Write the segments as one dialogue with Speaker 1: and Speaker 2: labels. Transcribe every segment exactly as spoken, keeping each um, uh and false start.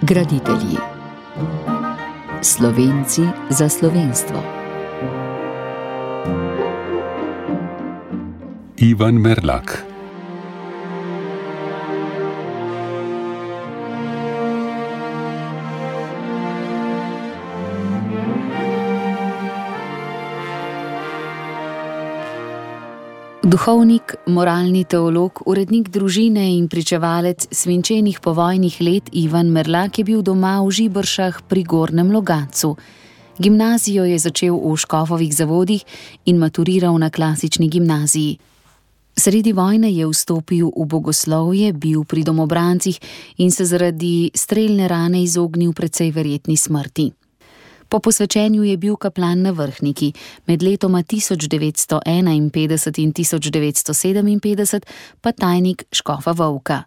Speaker 1: Graditelji. Slovenci za slovenstvo.
Speaker 2: Ivan Merlak.
Speaker 1: Duhovnik, moralni teolog, urednik družine in pričevalec svinčenih povojnih let Ivan Merlak je bil doma v Žibršah pri Gornjem Logatcu. Gimnazijo je začel v Škofovih Zavodih in maturiral na klasični gimnaziji. Sredi vojne je vstopil v bogoslovje, bil pri domobrancih in se zaradi strelne rane izognil precej verjetni smrti. Po posvečenju je bil kaplan na Vrhniki, med letoma tisoč devetsto enainpetdeset in tisoč devetsto sedeminpetdeset pa tajnik škofa Vovka.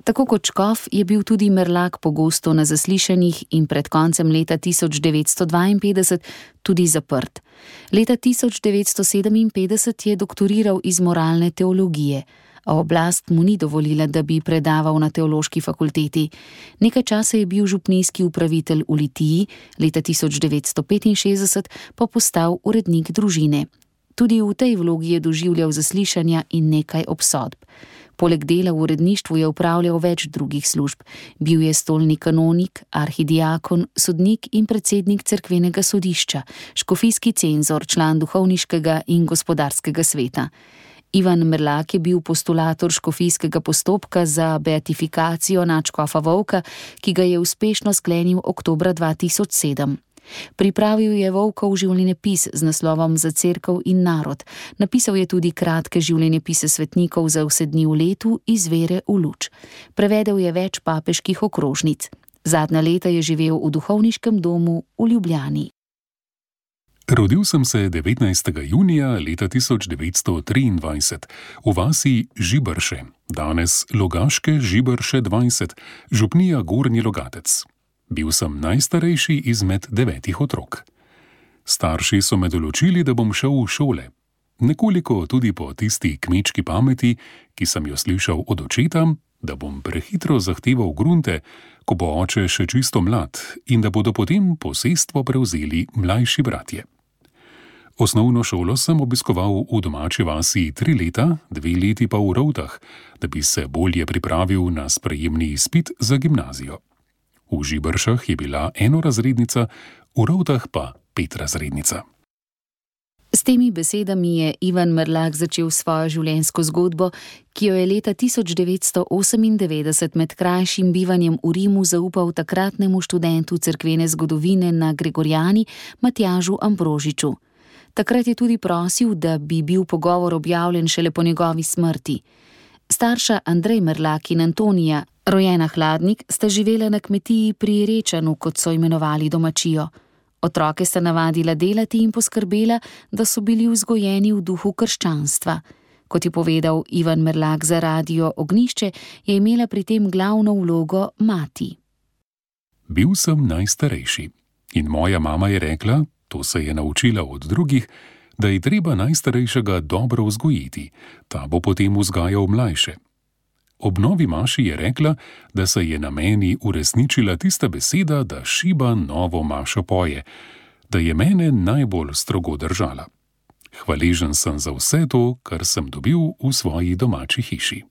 Speaker 1: Tako kot škof je bil tudi Merlak pogosto na zaslišanjih in pred koncem leta tisoč devetsto dvainpetdeset tudi zaprt. Leta tisoč devetsto sedeminpetdeset je doktoriral iz moralne teologije, a oblast mu ni dovolila, da bi predaval na teološki fakulteti. Nekaj časa je bil župnijski upravitelj v Litiji, leta tisoč devetsto petinšestdeset pa postal urednik družine. Tudi v tej vlogi je doživljal zaslišanja in nekaj obsodb. Poleg dela v uredništvu je upravljal več drugih služb. Bil je stolni kanonik, arhidiakon, sodnik in predsednik cerkvenega sodišča, škofijski cenzor, član duhovniškega in gospodarskega sveta. Ivan Merlak je bil postulator škofijskega postopka za beatifikacijo nadškofa Vovka, ki ga je uspešno sklenil oktobra dva tisoč sedem. Pripravil je Vovkov življenjepis z naslovom Za cerkev in narod. Napisal je tudi kratke življenjepise svetnikov za vse dni v letu iz vere v luč. Prevedel je več papeških okrožnic. Zadnja leta je živel v duhovniškem domu v Ljubljani.
Speaker 2: Rodil sem se devetnajstega junija leta tisoč devetsto triindvajset v vasi Žibrše, danes Logaške Žibrše dvajset, župnija Gornji Logatec. Bil sem najstarejši izmed devetih otrok. Starši so me določili, da bom šel v šole. Nekoliko tudi po tisti kmečki pameti, ki sem jo slišal od očeta, da bom prehitro zahteval grunte, ko bo oče še čisto mlad in da bodo potem posestvo prevzeli mlajši bratje. Osnovno šolo sem obiskoval v domači vasi tri leta, dve leti pa v Rovtah, da bi se bolje pripravil na sprejemni izpit za gimnazijo. V Žibršah je bila enorazrednica, v Rovtah pa petrazrednica.
Speaker 1: S temi besedami je Ivan Merlak začel svojo življenjsko zgodbo, ki jo je leta tisoč devetsto osemindevetdeset med krajšim bivanjem v Rimu zaupal takratnemu študentu cerkvene zgodovine na Gregorjani Matjažu Ambrožiču. Takrat je tudi prosil, da bi bil pogovor objavljen šele po njegovi smrti. Starša Andrej Merlak in Antonija, rojena Hladnik, sta živela na kmetiji pri Rečanu, kot so imenovali domačijo. Otroke sta navadila delati in poskrbela, da so bili vzgojeni v duhu krščanstva. Kot je povedal Ivan Merlak za radio Ognjišče, je imela pri tem glavno vlogo mati.
Speaker 2: Bil sem najstarejši in moja mama je rekla, to se je naučila od drugih, da je treba najstarejšega dobro vzgojiti, ta bo potem vzgajal mlajše. Ob novi maši je rekla, da se je na meni uresničila tista beseda, da šiba novo mašo poje, da je mene najbolj strogo držala. Hvaležen sem za vse to, kar sem dobil v svoji domači hiši.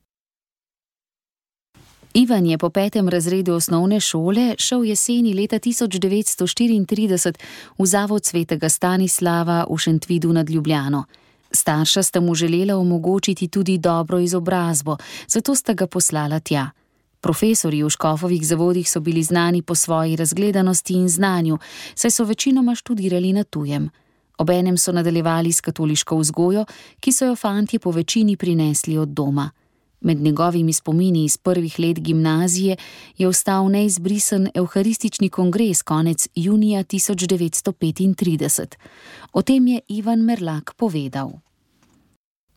Speaker 1: Ivan je po petem razredu osnovne šole šel jeseni leta tisoč devetsto štiriintrideset v zavod svetega Stanislava v Šentvidu nad Ljubljano. Starša sta mu želela omogočiti tudi dobro izobrazbo, zato sta ga poslala tja. Profesorji v Škofovih Zavodih so bili znani po svoji razgledanosti in znanju, saj so večinoma študirali na tujem. Obenem so nadaljevali s katoliško vzgojo, ki so jo fantje po večini prinesli od doma. Med njegovimi spomini iz prvih let gimnazije je ostal neizbrisen evharistični kongres konec junija tisoč devetsto petintrideset. O tem je Ivan Merlak povedal.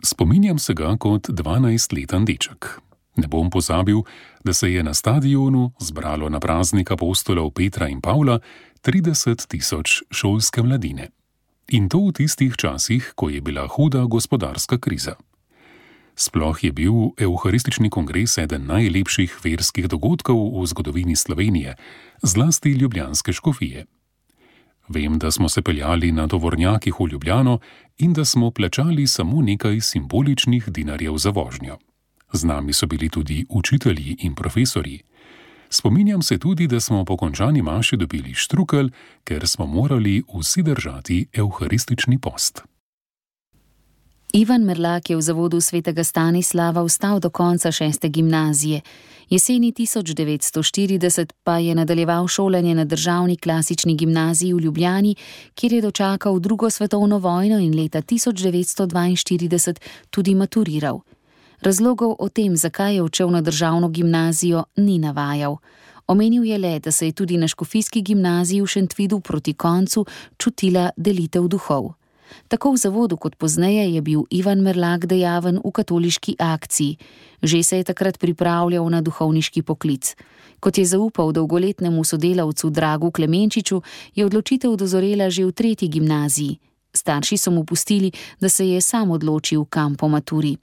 Speaker 2: Spominjam se ga kot dvanajstleten deček. Ne bom pozabil, da se je na stadionu zbralo na praznik apostolov Petra in Pavla trideset tisoč šolske mladine. In to v tistih časih, ko je bila huda gospodarska kriza. Sploh je bil Evharistični kongres eden najlepših verskih dogodkov v zgodovini Slovenije, zlasti ljubljanske škofije. Vem, da smo se peljali na tovornjakih v Ljubljano in da smo plačali samo nekaj simboličnih dinarjev za vožnjo. Z nami so bili tudi učitelji in profesorji. Spominjam se tudi, da smo po končani maši dobili štrukelj, ker smo morali vsi držati evharistični post.
Speaker 1: Ivan Merlak je v zavodu svetega Stanislava ostal do konca šeste gimnazije. Jeseni tisoč devetsto štirideset pa je nadaljeval šolanje na državni klasični gimnaziji v Ljubljani, kjer je dočakal drugo svetovno vojno in leta tisoč devetsto dvainštirideset tudi maturiral. Razlogov o tem, zakaj je odšel na državno gimnazijo, ni navajal. Omenil je le, da se je tudi na škofijski gimnaziji v Šentvidu proti koncu čutila delitev duhov. Tako v zavodu kot pozneje je bil Ivan Merlak dejaven v katoliški akciji. Že se je takrat pripravljal na duhovniški poklic. Kot je zaupal dolgoletnemu sodelavcu Dragu Klemenčiču, je odločitev dozorela že v tretji gimnaziji. Starši so mu pustili, da se je sam odločil, kam po maturi.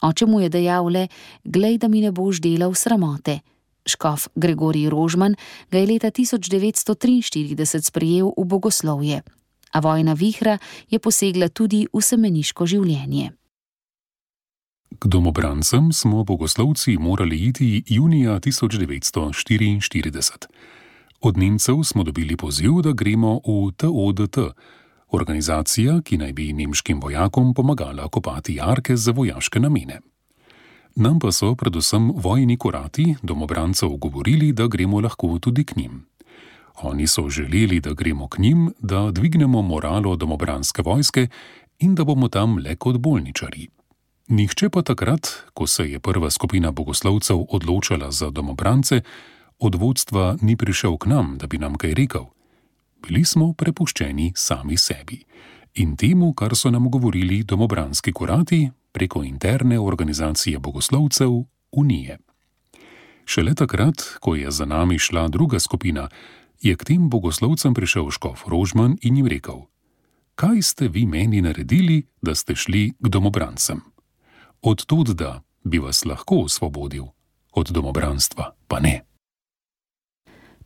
Speaker 1: Oče mu je dejal le: "Glej, da mi ne boš delal sramote." Škof Gregorij Rožman ga je leta tisoč devetsto triinštirideset sprejel v bogoslovje. A vojna vihra je posegla tudi v semeniško življenje.
Speaker 2: K domobrancem smo bogoslovci morali iti junija tisoč devetsto štiriinštirideset. Od Nemcev smo dobili poziv, da gremo v T O D T, organizacija, ki naj bi nemškim vojakom pomagala kopati jarke za vojaške namene. Nam pa so predvsem vojni kurati domobrancev govorili, da gremo lahko tudi k njim. Oni so želeli, da gremo k njim, da dvignemo moralo domobranske vojske in da bomo tam le kot bolničarji. Nihče pa takrat, ko se je prva skupina bogoslovcev odločala za domobrance, od vodstva ni prišel k nam, da bi nam kaj rekel. Bili smo prepuščeni sami sebi in temu, kar so nam govorili domobranski kurati preko interne organizacije bogoslovcev Unije. Šele takrat, ko je za nami šla druga skupina, je k tem bogoslovcem prišel škof Rožman in jim rekel: "Kaj ste vi meni naredili, da ste šli k domobrancem? Od tod, da bi vas lahko osvobodil, od domobranstva pa ne."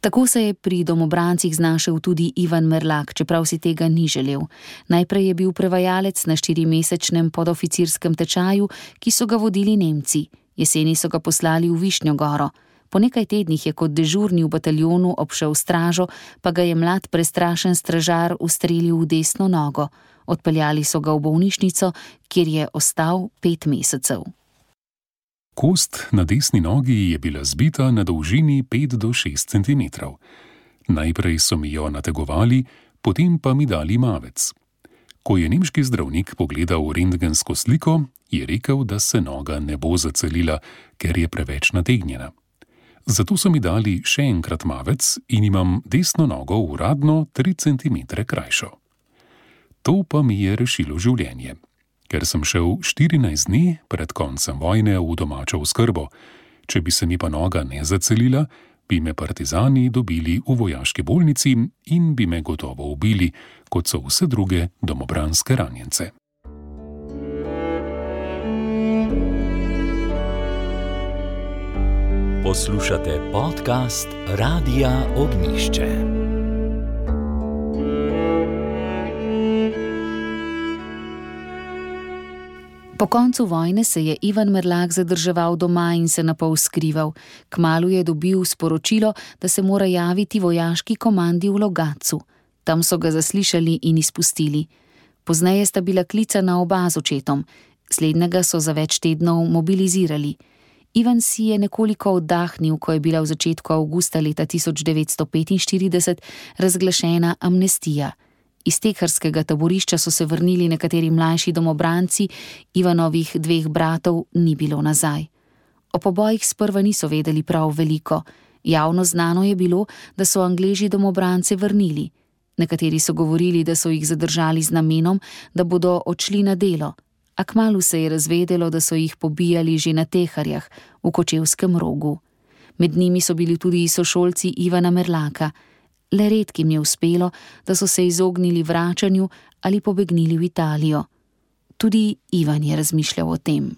Speaker 1: Tako se je pri domobrancih znašel tudi Ivan Merlak, čeprav si tega ni želel. Najprej je bil prevajalec na štirimesečnem podoficirskem tečaju, ki so ga vodili Nemci. Jeseni so ga poslali v Višnjo Goro. Po nekaj tednih je kot dežurni v bataljonu obšel stražo, pa ga je mlad prestrašen stražar ustrelil v desno nogo. Odpeljali so ga v bolnišnico, kjer je ostal pet mesecev.
Speaker 2: Kost na desni nogi je bila zbita na dolžini pet do šest centimetrov. Najprej so mi jo nategovali, potem pa mi dali mavec. Ko je nemški zdravnik pogledal rentgensko sliko, je rekel, da se noga ne bo zacelila, ker je preveč nategnjena. Zato so mi dali še enkrat mavec in imam desno nogo uradno tri centimetre krajšo. To pa mi je rešilo življenje, ker sem šel štirinajst dni pred koncem vojne v domačo oskrbo. Če bi se mi pa noga ne zacelila, bi me partizani dobili v vojaški bolnici in bi me gotovo ubili, kot so vse druge domobranske ranjence.
Speaker 3: Poslušate podcast Radia Ognjišče.
Speaker 1: Po koncu vojne se je Ivan Merlak zadrževal doma in se napol skrival. Kmalu je dobil sporočilo, da se mora javiti vojaški komandi v Logatcu. Tam so ga zaslišali in izpustili. Pozneje sta bila klicana oba z očetom. Slednjega so za več tednov mobilizirali. Ivan si je nekoliko oddahnil, ko je bila v začetku avgusta leta tisoč devetsto petinštirideset razglašena amnestija. Iz teharskega taborišča so se vrnili nekateri mlajši domobranci, Ivanovih dveh bratov ni bilo nazaj. O pobojih sprva niso vedeli prav veliko. Javno znano je bilo, da so Angleži domobrance vrnili. Nekateri so govorili, da so jih zadržali z namenom, da bodo odšli na delo, a kmalu se je razvedelo, da so jih pobijali že na Teharjah, v Kočevskem Rogu. Med njimi so bili tudi sošolci Ivana Merlaka. Le redkim je uspelo, da so se izognili vračanju ali pobegnili v Italijo. Tudi Ivan je razmišljal o tem.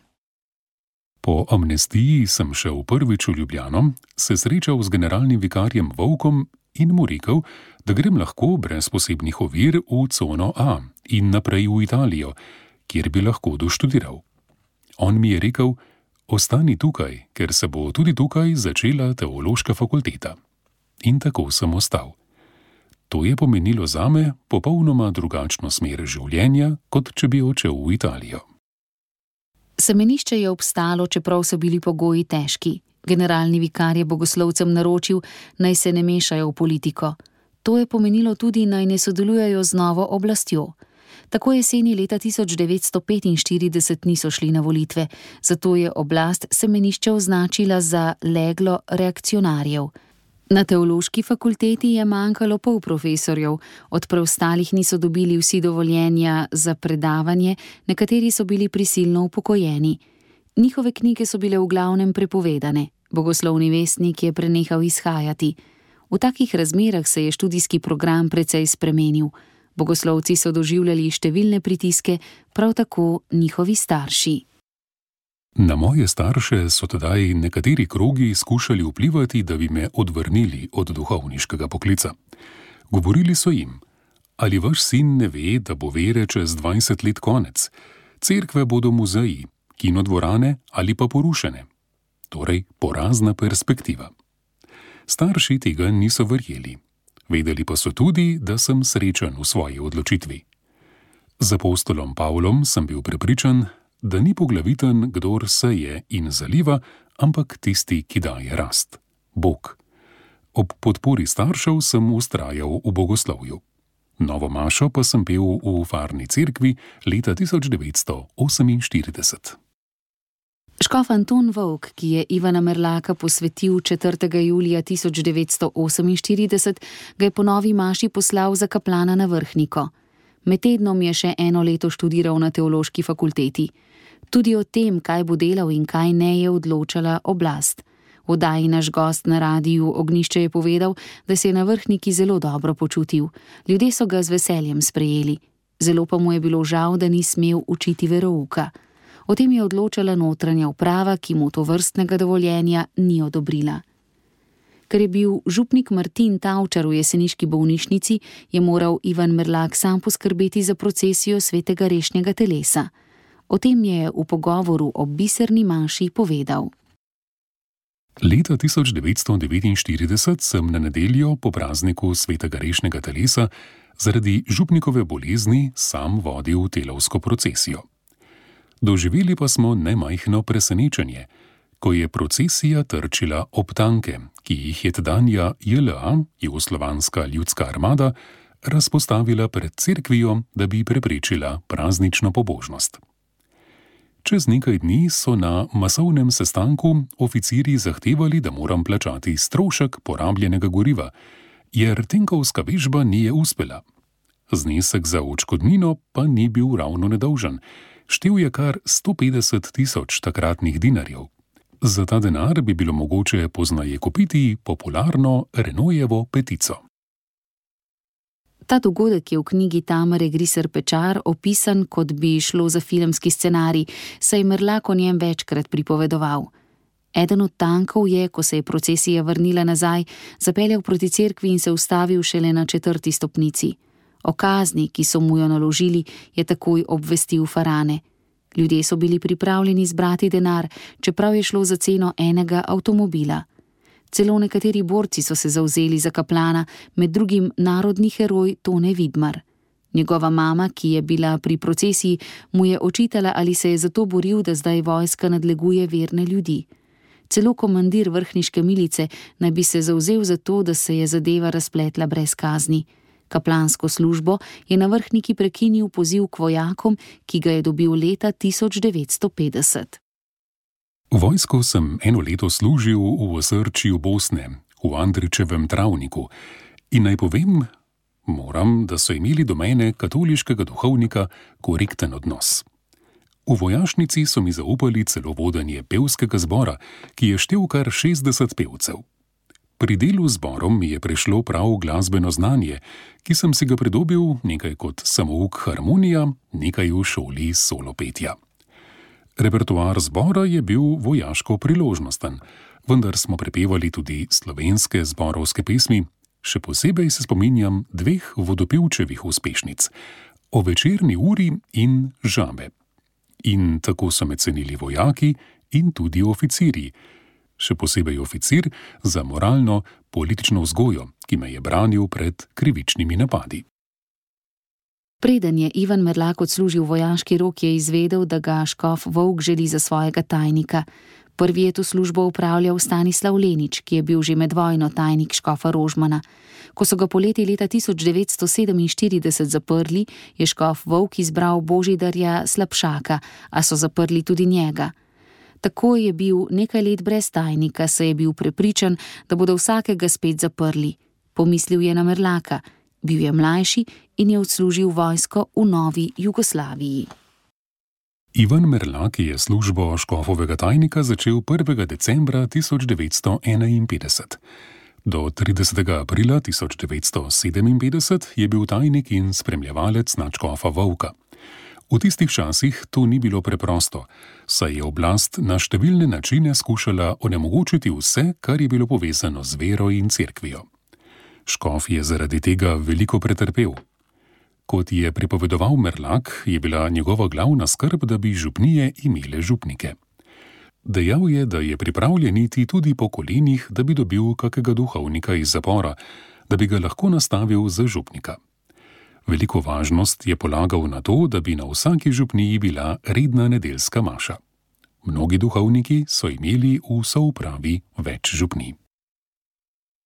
Speaker 2: Po amnestiji sem šel prvič v Ljubljano, se srečal z generalnim vikarjem Vovkom in mu rekel, da grem lahko brez posebnih ovir v cono A in naprej v Italijo, kjer bi lahko doštudiral. On mi je rekel, ostani tukaj, ker se bo tudi tukaj začela teološka fakulteta. In tako sem ostal. To je pomenilo zame popolnoma drugačno smer življenja, kot če bi odšel v Italijo.
Speaker 1: Semenišče je obstalo, čeprav so bili pogoji težki. Generalni vikar je bogoslovcem naročil, naj se ne mešajo v politiko. To je pomenilo tudi, naj ne sodelujejo z novo oblastjo. Tako jeseni leta tisoč devetsto petinštirideset niso šli na volitve, zato je oblast semenišče označila za leglo reakcionarjev. Na teološki fakulteti je manjkalo pol profesorjev, od preostalih niso dobili vsi dovoljenja za predavanje, nekateri so bili prisilno upokojeni. Njihove knjige so bile v glavnem prepovedane, bogoslovni vestnik je prenehal izhajati. V takih razmerah se je študijski program precej spremenil. Bogoslovci so doživljali številne pritiske, prav tako njihovi starši.
Speaker 2: Na moje starše so tedaj nekateri krogi skušali vplivati, da bi me odvrnili od duhovniškega poklica. Govorili so jim, ali vaš sin ne ve, da bo vere čez dvajset let konec, cerkve bodo muzeji, kinodvorane ali pa porušene. Torej, porazna perspektiva. Starši tega niso verjeli. Vedeli pa so tudi, da sem srečen v svoji odločitvi. Z apostolom Pavlom sem bil prepričan, da ni poglaviten, kdor seje in zaliva, ampak tisti, ki daje rast. Bog. Ob podpori staršev sem vztrajal v bogoslovju. Novo mašo pa sem pel v farni cerkvi leta tisoč devetsto oseminštirideset.
Speaker 1: Škof Anton Vovk, ki je Ivana Merlaka posvetil četrtega julija tisoč devetsto oseminštirideset, ga je po novi maši poslal za kaplana na Vrhniko. Med tednom je še eno leto študiral na teološki fakulteti. Tudi o tem, kaj bo delal in kaj ne, je odločala oblast. V oddaji Naš gost na radiju Ognjišče je povedal, da se je na Vrhniki zelo dobro počutil. Ljudje so ga z veseljem sprejeli. Zelo pa mu je bilo žal, da ni smel učiti verouka. O tem je odločala notranja uprava, ki mu tovrstnega dovoljenja ni odobrila. Ker je bil župnik Martin Tavčar v jeseniški bolnišnici, je moral Ivan Merlak sam poskrbeti za procesijo svetega rešnjega telesa. O tem je v pogovoru o biserni maši povedal.
Speaker 2: Leta tisoč devetsto devetinštirideset sem na nedeljo po prazniku svetega rešnjega telesa zaradi župnikove bolezni sam vodil telovsko procesijo. Doživeli pa smo nemajhno presenečenje, ko je procesija trčila ob tanke, ki jih je tedanja J L A, Jugoslovanska ljudska armada, razpostavila pred cerkvijo, da bi preprečila praznično pobožnost. Čez nekaj dni so na masovnem sestanku oficirji zahtevali, da moram plačati strošek porabljenega goriva, jer tenkovska vežba ni uspela. Znesek za odškodnino pa ni bil ravno nedolžen. Štel je kar sto petdeset tisoč takratnih dinarjev. Za ta denar bi bilo mogoče poznaje kupiti popularno Renaultovo petico.
Speaker 1: Ta dogodek je v knjigi Tamare Griser Pečar opisan, kot bi šlo za filmski scenarij, saj je Merlak o njem večkrat pripovedoval. Eden od tankov je, ko se je procesija vrnila nazaj, zapeljal proti cerkvi in se ustavil šele na četrti stopnici. O kazni, ki so mu jo naložili, je takoj obvestil farane. Ljudje so bili pripravljeni zbrati denar, čeprav je šlo za ceno enega avtomobila. Celo nekateri borci so se zavzeli za kaplana, med drugim narodni heroj Tone Vidmar. Njegova mama, ki je bila pri procesiji, mu je očitala, ali se je zato boril, da zdaj vojska nadleguje verne ljudi. Celo komandir vrhniške milice naj bi se zavzel za to, da se je zadeva razpletla brez kazni. Kaplansko službo je na Vrhniki prekinil poziv k vojakom, ki ga je dobil leta tisoč devetsto petdeset.
Speaker 2: Vojsko sem eno leto služil v osrčju Bosne, v Andričevem travniku, in naj povem, moram, da so imeli do mene katoliškega duhovnika korekten odnos. V vojašnici so mi zaupali celo vodenje pevskega zbora, ki je štel kar šestdeset pevcev. Pri delu z zborom mi je prišlo prav glasbeno znanje, ki sem si ga pridobil nekaj kot samouk harmonija, nekaj v šoli solopetja. Repertoar zbora je bil vojaško priložnosten, vendar smo prepevali tudi slovenske zborovske pesmi, še posebej se spominjam dveh vodopevčevih uspešnic, O večerni uri in Žabe. In tako so me cenili vojaki in tudi oficirji, še posebej oficir za moralno, politično vzgojo, ki me je branil pred krivičnimi napadi.
Speaker 1: Preden je Ivan Merlak odslužil vojaški rok, je izvedel, da ga škof Volk želi za svojega tajnika. Prvi je to službo upravljal Stanislav Lenič, ki je bil že med vojno tajnik škofa Rožmana. Ko so ga poleti leta tisoč devetsto sedeminštirideset zaprli, je škof Volk izbral Božidarja Slapšaka, a so zaprli tudi njega. Tako je bil nekaj let brez tajnika, saj je bil prepričan, da bodo vsakega spet zaprli. Pomislil je na Merlaka. Bil je mlajši in je odslužil vojsko v novi Jugoslaviji.
Speaker 2: Ivan Merlak je službo škofovega tajnika začel prvega decembra tisoč devetsto enainpetdeset. Do tridesetega aprila tisoč devetsto sedeminpetdeset je bil tajnik in spremljevalec nadškofa Volka. V tistih časih to ni bilo preprosto, saj je oblast na številne načine skušala onemogočiti vse, kar je bilo povezano z vero in cerkvijo. Škof je zaradi tega veliko pretrpel. Kot je pripovedoval Merlak, je bila njegova glavna skrb, da bi župnije imele župnike. Dejal je, da je pripravljen iti tudi po kolenih, da bi dobil kakega duhovnika iz zapora, da bi ga lahko nastavil za župnika. Veliko važnost je polagal na to, da bi na vsaki župniji bila redna nedeljska maša. Mnogi duhovniki so imeli v soupravi več župnij.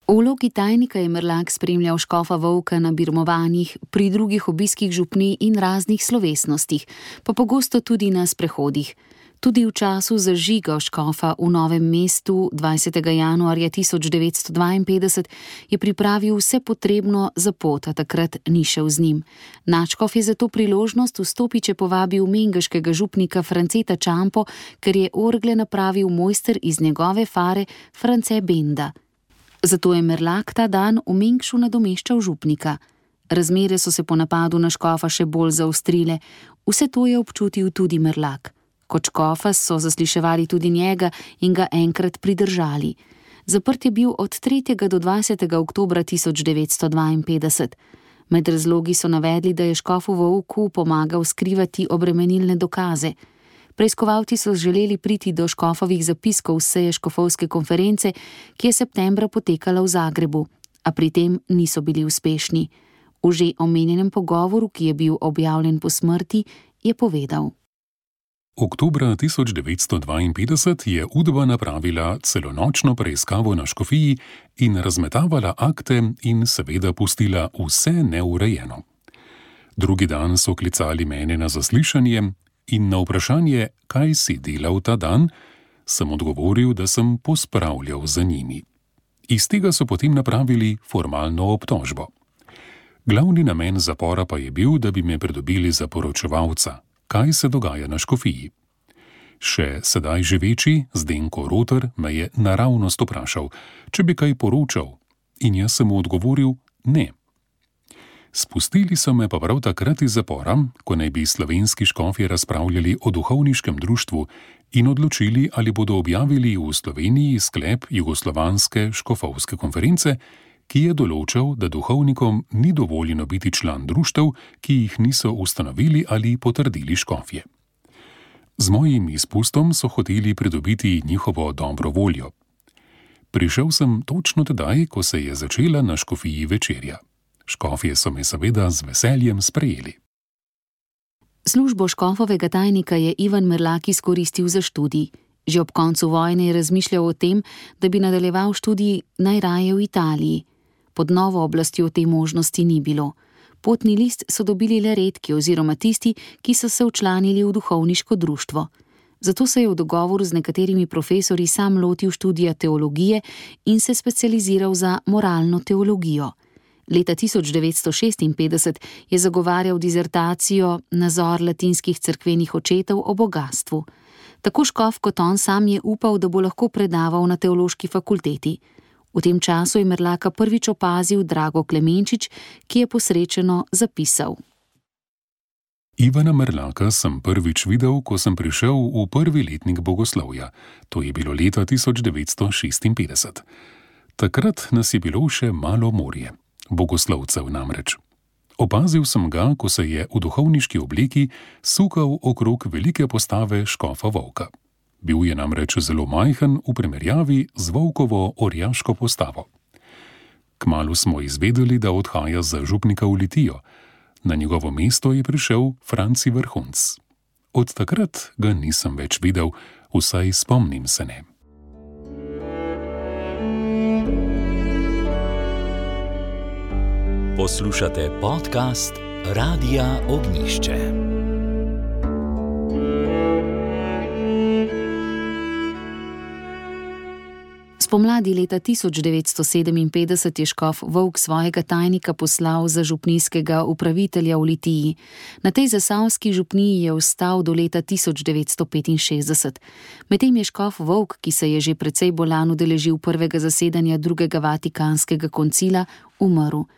Speaker 1: V vlogi tajnika je Merlak spremljal škofa Volka na birmovanjih, pri drugih obiskih župnij in raznih slovesnostih, pa pogosto tudi na sprehodih. Tudi v času zažiga škofa v Novem mestu dvajsetega januarja tisoč devetsto dvainpetdeset je pripravil vse potrebno za pot, a takrat ni šel z njim. Nadškof je za to priložnost v Stopiče povabil mengeškega župnika Franceta Čampo, ker je orgle napravil mojster iz njegove fare France Benda. Zato je Merlak ta dan v Mengšu nadomeščal župnika. Razmere so se po napadu na škofa še bolj zaostrile. Vse to je občutil tudi Merlak. Kot škofa so zasliševali tudi njega in ga enkrat pridržali. Zaprt je bil od tretjega do dvajsetega oktobra tisoč devetsto dvainpetdeset. Med razlogi so navedli, da je škofu Volku pomagal skrivati obremenilne dokaze. Preiskovalci so želeli priti do škofovih zapiskov seje škofovske konference, ki je septembra potekala v Zagrebu, a pri tem niso bili uspešni. V že omenjenem pogovoru, ki je bil objavljen po smrti, je povedal:
Speaker 2: Oktobra tisoč devetsto dvainpetdeset je Udba napravila celonočno preiskavo na škofiji in razmetavala akte in seveda pustila vse neurejeno. Drugi dan so klicali mene na zaslišanje in na vprašanje, kaj si delal ta dan, sem odgovoril, da sem pospravljal za njimi. Iz tega so potem napravili formalno obtožbo. Glavni namen zapora pa je bil, da bi me pridobili za poročevalca, kaj se dogaja na škofiji. Še sedaj živeči Zdenko Roter me je naravnost vprašal, če bi kaj poročal, in jaz sem mu odgovoril ne. Spustili so me pa prav takrat iz zapora, ko naj bi slovenski škofje razpravljali o duhovniškem društvu in odločili, ali bodo objavili v Sloveniji sklep Jugoslovanske škofovske konference, ki je določal, da duhovnikom ni dovoljeno biti član društev, ki jih niso ustanovili ali potrdili škofje. Z mojim izpustom so hoteli pridobiti njihovo dobro voljo. Prišel sem točno tedaj, ko se je začela na škofiji večerja. Škofje so me seveda z veseljem sprejeli.
Speaker 1: Službo škofovega tajnika je Ivan Merlak izkoristil za študij. Že ob koncu vojne je razmišljal o tem, da bi nadaljeval študij najraje v Italiji. Pod novo oblastjo te možnosti ni bilo. Potni list so dobili le redki oziroma tisti, ki so se včlanili v duhovniško društvo. Zato se je v dogovoru z nekaterimi profesorji sam lotil študija teologije in se specializiral za moralno teologijo. Leta tisoč devetsto šestinpetdeset je zagovarjal dizertacijo Nazor latinskih cerkvenih očetov o bogatstvu. Tako škof kot on sam je upal, da bo lahko predaval na teološki fakulteti. V tem času je Merlaka prvič opazil Drago Klemenčič, ki je posrečeno zapisal:
Speaker 2: Ivana Merlaka sem prvič videl, ko sem prišel v prvi letnik bogoslovja. To je bilo leta tisoč devetsto šestinpetdeset. Takrat nas je bilo še malo morje, bogoslovcev namreč. Opazil sem ga, ko se je v duhovniški obleki sukal okrog velike postave škofa Volka. Bil je namreč zelo majhen v primerjavi z Volkovo orjaško postavo. Kmalu smo izvedeli, da odhaja za župnika v Litijo. Na njegovo mesto je prišel Franci Vrhunc. Od takrat ga nisem več videl, vsaj spomnim se ne.
Speaker 3: Poslušate podcast Radia Ognišče.
Speaker 1: Spomladi leta tisoč devetsto sedeminpetdeset je škof Volk svojega tajnika poslal za župnijskega upravitelja v Litiji. Na tej zasavski župniji je ostal do leta tisoč devetsto petinšestdeset. Medtem je škof Volk, ki se je že precej bolan udeležil prvega zasedanja drugega Vatikanskega koncila, umrl.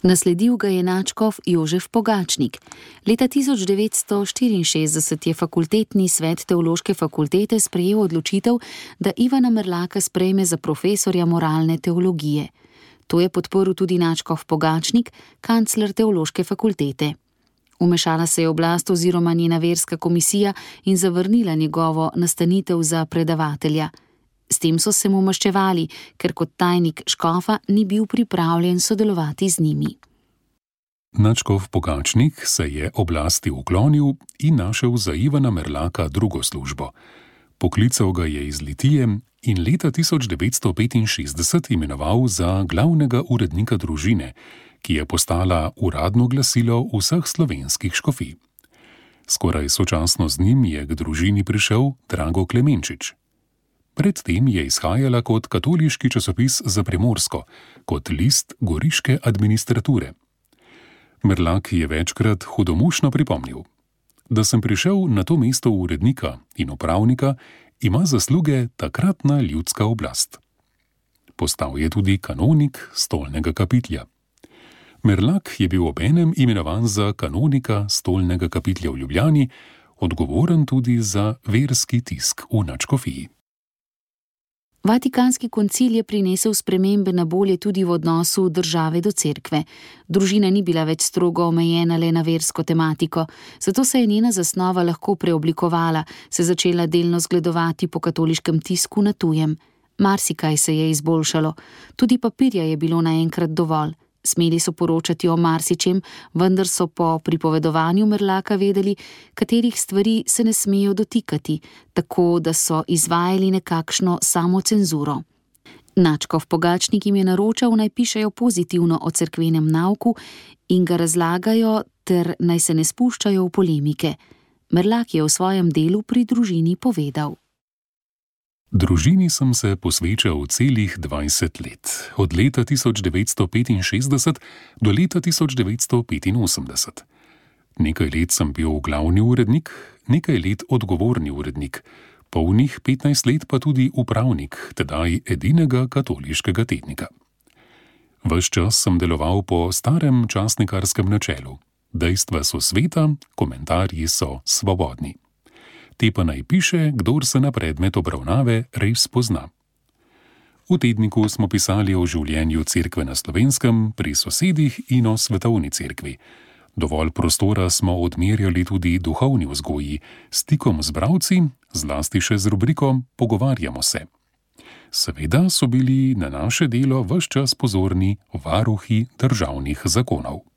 Speaker 1: Nasledil ga je nadškof Jožef Pogačnik. Leta tisoč devetsto štiriinšestdeset je fakultetni svet teološke fakultete sprejel odločitev, da Ivana Merlaka sprejme za profesorja moralne teologije. To je podporil tudi nadškof Pogačnik, kancler teološke fakultete. Vmešala se je oblast oziroma njena verska komisija in zavrnila njegovo nastanitev za predavatelja. S tem so se mu maščevali, ker kot tajnik škofa ni bil pripravljen sodelovati z njimi.
Speaker 2: Nadškof Pogačnik se je oblasti uklonil in našel za Ivana Merlaka drugo službo. Poklical ga je iz Litije in leta tisoč devetsto petinšestdeset imenoval za glavnega urednika družine, ki je postala uradno glasilo vseh slovenskih škofij. Skoraj sočasno z njim je k družini prišel Drago Klemenčič. Predtem je izhajala kot katoliški časopis za Primorsko, kot list goriške administrature. Merlak je večkrat hudomušno pripomnil: da sem prišel na to mesto urednika in upravnika, ima zasluge takratna ljudska oblast. Postal je tudi kanonik stolnega kapitlja. Merlak je bil obenem imenovan za kanonika stolnega kapitlja v Ljubljani, odgovoren tudi za verski tisk v nadškofiji.
Speaker 1: Vatikanski koncil je prinesel spremembe na bolje tudi v odnosu države do cerkve. Družina ni bila več strogo omejena le na versko tematiko, zato se je njena zasnova lahko preoblikovala, se začela delno zgledovati po katoliškem tisku na tujem. Marsikaj se je izboljšalo, tudi papirja je bilo naenkrat dovolj. Smeli so poročati o marsičem, vendar so po pripovedovanju Merlaka vedeli, katerih stvari se ne smejo dotikati, tako da so izvajali nekakšno samocenzuro. Nadškof Pogačnik jim je naročal, naj pišejo pozitivno o cerkvenem nauku in ga razlagajo, ter naj se ne spuščajo v polemike. Merlak je v svojem delu pri družini povedal:
Speaker 2: Družini sem se posvečal celih dvajset let, od leta tisoč devetsto petinšestdeset do leta tisoč devetsto petinosemdeset. Nekaj let sem bil glavni urednik, nekaj let odgovorni urednik, polnih petnajst let pa tudi upravnik, tedaj edinega katoliškega tednika. Ves čas sem deloval po starem časnikarskem načelu. Dejstva so sveta, komentarji so svobodni. Te pa naj piše, kdor se na predmet obravnave res pozna. V tedniku smo pisali o življenju cerkve na Slovenskem, pri sosedih in o svetovni cerkvi. Dovolj prostora smo odmerjali tudi duhovni vzgoji, stikom z bralci, zlasti še z rubriko Pogovarjamo se. Seveda so bili na naše delo ves čas pozorni varuhi državnih zakonov.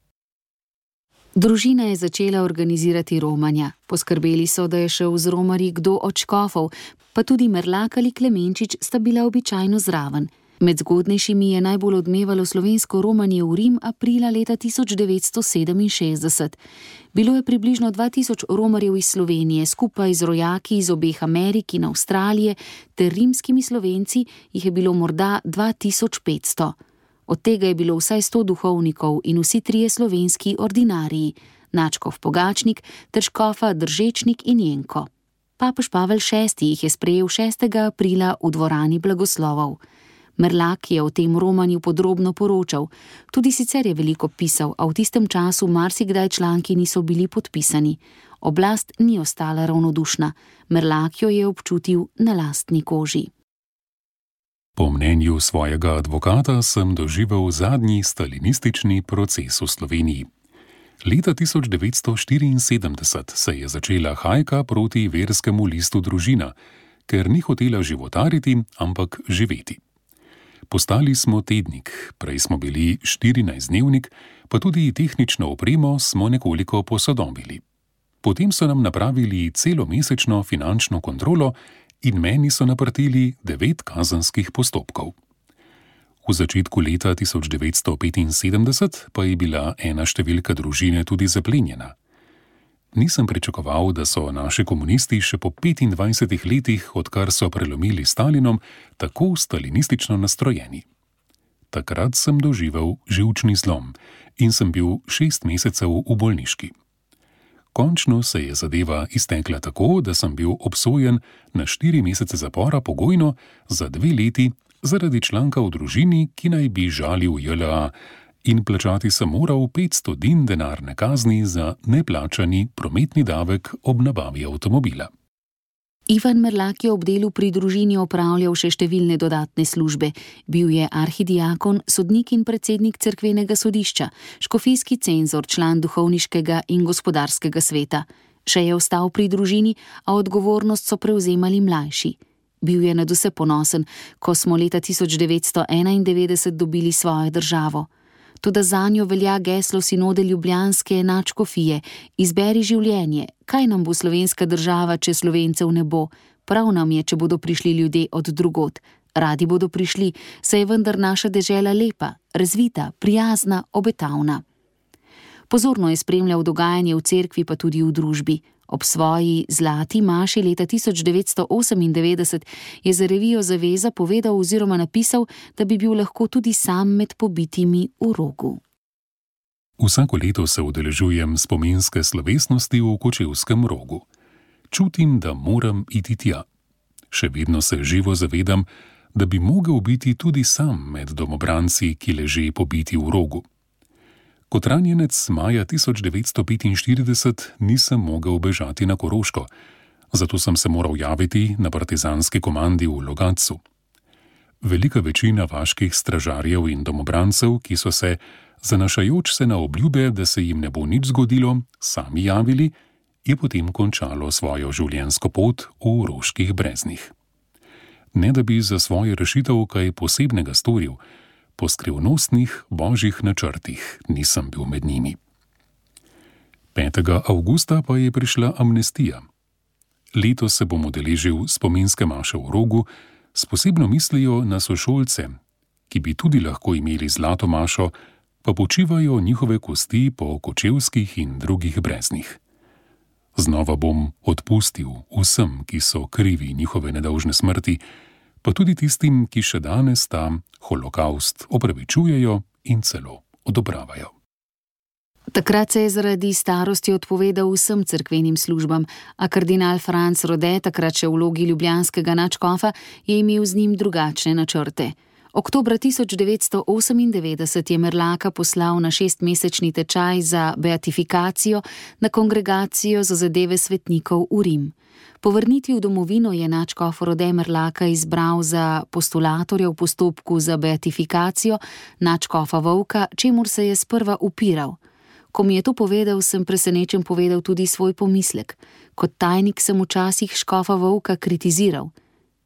Speaker 1: Družina je začela organizirati romanja. Poskrbeli so, da je šel z romarji kdo od škofov, pa tudi Merlak ali Klemenčič sta bila običajno zraven. Med zgodnejšimi je najbolj odmevalo slovensko romanje v Rim aprila leta tisoč devetsto sedeminšestdeset. Bilo je približno dva tisoč romarjev iz Slovenije, skupaj z rojaki iz obeh Amerik in Avstralije ter rimskimi Slovenci jih je bilo morda dva tisoč petsto. Od tega je bilo vsaj sto duhovnikov in vsi trije slovenski ordinariji, nadškof Pogačnik ter škofa Držečnik in Jenko. Papež Pavel šesti jih je sprejel šestega aprila v dvorani blagoslovov. Merlak je o tem romanju podrobno poročal. Tudi sicer je veliko pisal, a v tistem času marsikdaj članki niso bili podpisani. Oblast ni ostala ravnodušna. Merlak jo je občutil na lastni koži.
Speaker 2: Po mnenju svojega advokata sem doživel zadnji stalinistični proces v Sloveniji. Leta tisoč devetsto štiriinsedemdeset se je začela hajka proti verskemu listu Družina, ker ni hotela životariti, ampak živeti. Postali smo tednik, prej smo bili štirinajstdnevnik, pa tudi tehnično opremo smo nekoliko posodobili. Potem so nam napravili celomesečno finančno kontrolo in meni so naprtili devet kazenskih postopkov. V začetku leta tisoč devetsto petinsedemdeset pa je bila ena številka Družine tudi zaplenjena. Nisem pričakoval, da so naši komunisti še po petindvajsetih letih, odkar so prelomili Stalinom, tako stalinistično nastrojeni. Takrat sem doživel živčni zlom in sem bil šest mesecev v bolniški. Končno se je zadeva iztekla tako, da sem bil obsojen na štiri mesece zapora pogojno za dve leti zaradi članka v Družini, ki naj bi žalil J L A, in plačati sem moral petsto din denarne kazni za neplačani prometni davek ob nabavi avtomobila.
Speaker 1: Ivan Merlak je ob delu pri Družini opravljal še številne dodatne službe. Bil je arhidiakon, sodnik in predsednik cerkvenega sodišča, škofijski cenzor, član duhovniškega in gospodarskega sveta. Še je ostal pri Družini, a odgovornost so prevzemali mlajši. Bil je nadvse ponosen, ko smo leta tisoč devetsto enaindevetdeset dobili svojo državo. Toda zanjo velja geslo sinode ljubljanske nadškofije: izberi življenje, kaj nam bo slovenska država, če Slovencev ne bo? Prav nam je, če bodo prišli ljudje od drugod. Radi bodo prišli, saj je vendar naša dežela lepa, razvita, prijazna, obetavna. Pozorno je spremljal dogajanje v cerkvi, pa tudi v družbi. Ob svoji zlati maši leta tisoč devetsto osemindevetdeset je za revijo Zaveza povedal oziroma napisal, da bi bil lahko tudi sam med pobitimi v Rogu.
Speaker 2: Vsako leto se udeležujem spominske slovesnosti v Kočevskem Rogu. Čutim, da moram iti tja. Še vedno se živo zavedam, da bi mogel biti tudi sam med domobranci, ki leže pobiti v Rogu. Kot ranjenec maja tisoč devetsto petinštirideset nisem mogel bežati na Koroško, zato sem se moral javiti na partizanski komandi v Logatcu. Velika večina vaških stražarjev in domobrancev, ki so se, zanašajoč se na obljube, da se jim ne bo nič zgodilo, sami javili, je potem končalo svojo življenjsko pot v Roških breznih. Ne da bi za svojo rešitev kaj posebnega storil, po skrivnostnih božjih načrtih nisem bil med njimi. petega avgusta pa je prišla amnestija. Letos se bom udeležil spominske maše v Rogu s posebno mislijo na sošolce, ki bi tudi lahko imeli zlato mašo, pa počivajo njihove kosti po kočevskih in drugih breznih. Znova bom odpustil vsem, ki so krivi njihove nedolžne smrti, pa tudi tistim, ki še danes ta holokavst opravičujejo in celo odobravajo.
Speaker 1: Takrat se je zaradi starosti odpovedal vsem cerkvenim službam, a kardinal Franc Rode, takrat še v vlogi ljubljanskega nadškofa, je imel z njim drugačne načrte. Oktobra tisoč devetsto osemindevetdeset je Merlaka poslal na šestmesečni tečaj za beatifikacijo na kongregacijo za zadeve svetnikov v Rim. Po vrnitvi v domovino je nadškof Rode Merlaka izbral za postulatorja v postopku za beatifikacijo nadškofa Vovka, čemur se je sprva upiral. Ko mi je to povedal, sem presenečen povedal tudi svoj pomislek. Kot tajnik sem včasih škofa Vovka kritiziral.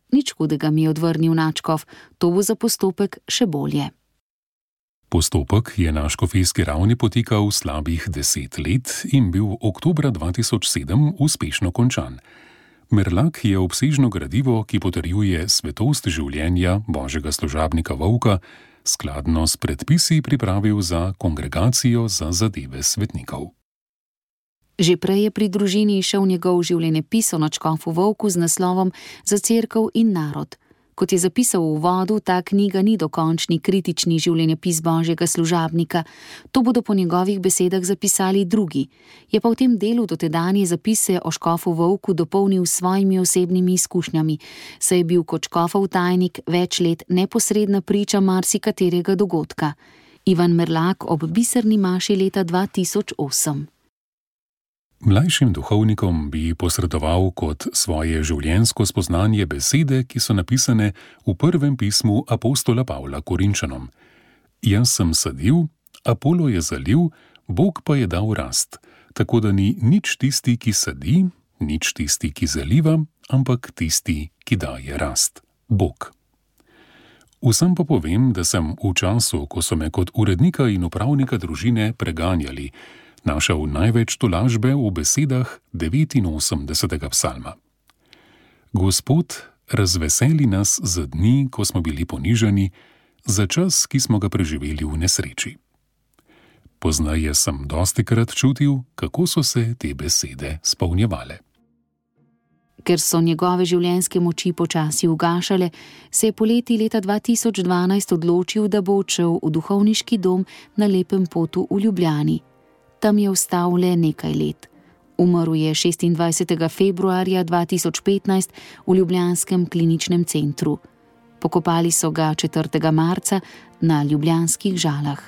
Speaker 1: Nič hudega, mi je odvrnil nadškof, to bo za postopek še bolje.
Speaker 2: Postopek je na škofijski ravni potekal slabih deset let in bil oktobra dva tisoč sedem uspešno končan. Merlak je obsežno gradivo, ki potrjuje svetost življenja božjega služabnika Vovka, skladno s predpisi pripravil za kongregacijo za zadeve svetnikov.
Speaker 1: Že prej je pri Družini išel njegov življenjepis o nadškofu Vovku z naslovom Za cerkev in narod. Kot je zapisal v uvodu, ta knjiga ni dokončni kritični življenjepis božjega služabnika. To bodo po njegovih besedah zapisali drugi. Je pa v tem delu dotedanje zapise o škofu Vovku dopolnil s svojimi osebnimi izkušnjami, saj je bil kot škofov tajnik več let neposredna priča marsikaterega dogodka. Ivan Merlak ob biserni maši leta dva tisoč osem.
Speaker 2: Mlajšim duhovnikom bi posredoval kot svoje življenjsko spoznanje besede, ki so napisane v prvem pismu apostola Pavla Korinčanom. Jaz sem sadil, Apolo je zalil, Bog pa je dal rast, tako da ni nič tisti, ki sadi, nič tisti, ki zaliva, ampak tisti, ki daje rast, Bog. Vsem pa povem, da sem v času, ko so me kot urednika in upravnika družine preganjali, našel največ tolažbe v besedah devetinosemdesetega psalma. Gospod, razveseli nas za dni, ko smo bili ponižani, za čas, ki smo ga preživeli v nesreči. Poznaje sem dostikrat čutil, kako so se te besede spolnjevale.
Speaker 1: Ker so njegove življenjske moči počasi ugašale, se je poleti leta dva tisoč dvanajst odločil, da bo odšel v duhovniški dom na Lepem potu v Ljubljani. Tam je ostal le nekaj let. Umrl je šestindvajsetega februarja dva tisoč petnajst v ljubljanskem kliničnem centru. Pokopali so ga četrtega marca na ljubljanskih Žalah.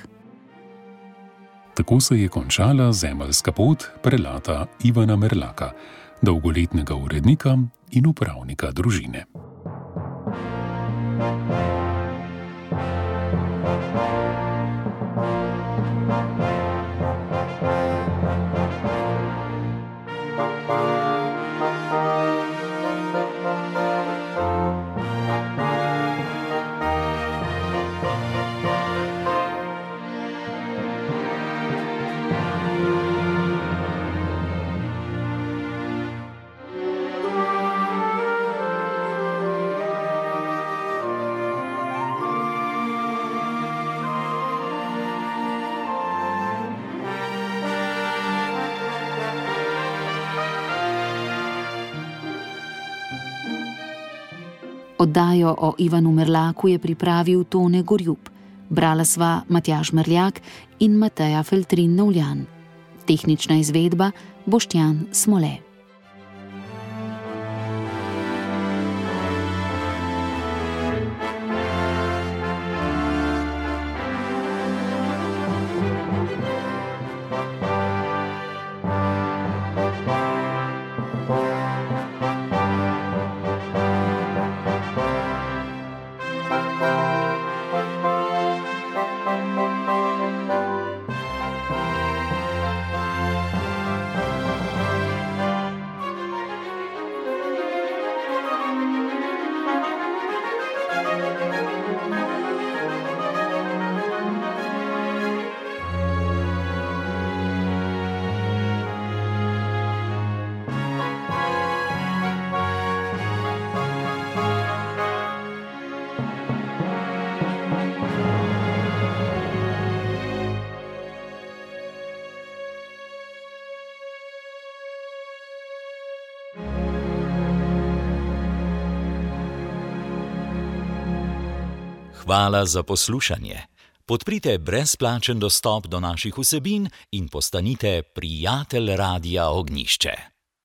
Speaker 2: Tako se je končala zemeljska pot prelata Ivana Merlaka, dolgoletnega urednika in upravnika družine.
Speaker 1: Oddajo o Ivanu Merlaku je pripravil Tone Gorjup. Brala sva Matjaž Merljak in Mateja Feltrin Novljan. Tehnična izvedba Boštjan Smole.
Speaker 3: Hvala za poslušanje. Podprite brezplačen dostop do naših vsebin in postanite prijatelj Radia Ognjišče.